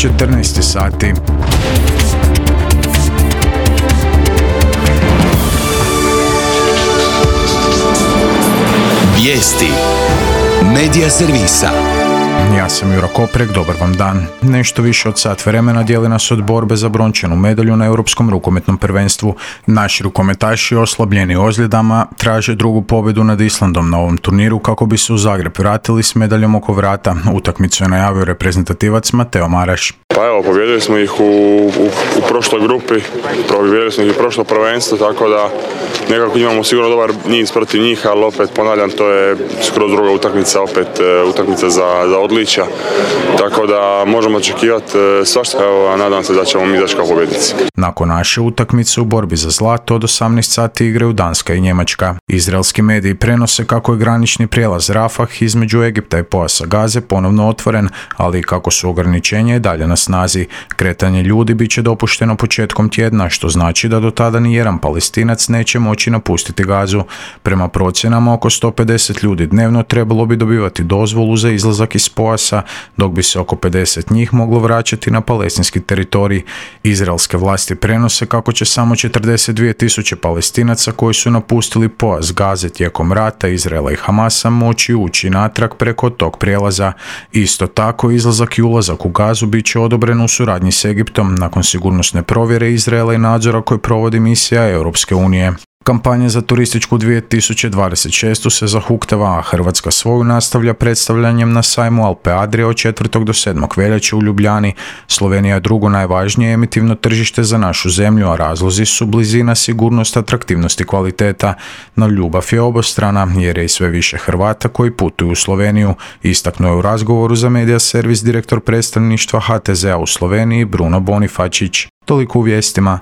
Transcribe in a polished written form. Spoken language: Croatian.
14 sati. Vijesti Medija servisa. Ja sam Juro Koprek, dobar vam dan. Nešto više od sat vremena dijeli nas od borbe za brončanu medalju na Europskom rukometnom prvenstvu. Naši rukometaši, oslabljeni ozljedama, traže drugu pobjedu nad Islandom na ovom turniru kako bi se u Zagreb vratili s medaljom oko vrata. Utakmicu je najavio reprezentativac Mateo Maraš. Pa evo, pobijedili smo ih u prošloj grupi, pobijedili smo ih u prošlo prvenstvo, tako da nekako imamo sigurno dobar niz protiv njih, ali opet ponavljam, to je skroz druga utakmica, opet utakmica za odličja, tako da možemo očekivati svašta, a nadam se da ćemo mi izaći kao pobjednici. Nakon naše utakmice u borbi za zlato od 18 sati igraju Danska i Njemačka. Izraelski mediji prenose kako je granični prijelaz Rafah između Egipta i pojasa Gaze ponovno otvoren, ali i kako su ograničenja i dalje na snazi. Kretanje ljudi bit će dopušteno početkom tjedna, što znači da do tada ni jedan Palestinac neće moći napustiti Gazu. Prema procjenama, oko 150 ljudi dnevno trebalo bi dobivati dozvolu za izlazak iz pojasa, dok bi se oko 50 njih moglo vraćati na palestinski teritorij. Izraelske vlasti prenose kako će samo 42.000 Palestinaca koji su napustili pojas Gaze tijekom rata Izraela i Hamasa moći ući natrag preko tog prijelaza. Isto tako, izlazak i ulazak u Gazu bit će odobren u suradnji s Egiptom nakon sigurnosne provjere Izraela i nadzora koje provodi misija Europske unije. Kampanja za turističku 2026. se zahuktava, a Hrvatska svoju nastavlja predstavljanjem na sajmu Alpe Adria od 4. do 7. veljače u Ljubljani. Slovenija je drugo najvažnije emitivno tržište za našu zemlju, a razlozi su blizina, sigurnost, atraktivnost i kvaliteta. No ljubav je obostrana jer je i sve više Hrvata koji putuju u Sloveniju, istaknuo je u razgovoru za Medija servis direktor predstavništva HTZ-a u Sloveniji Bruno Bonifačić. Toliko u vijestima.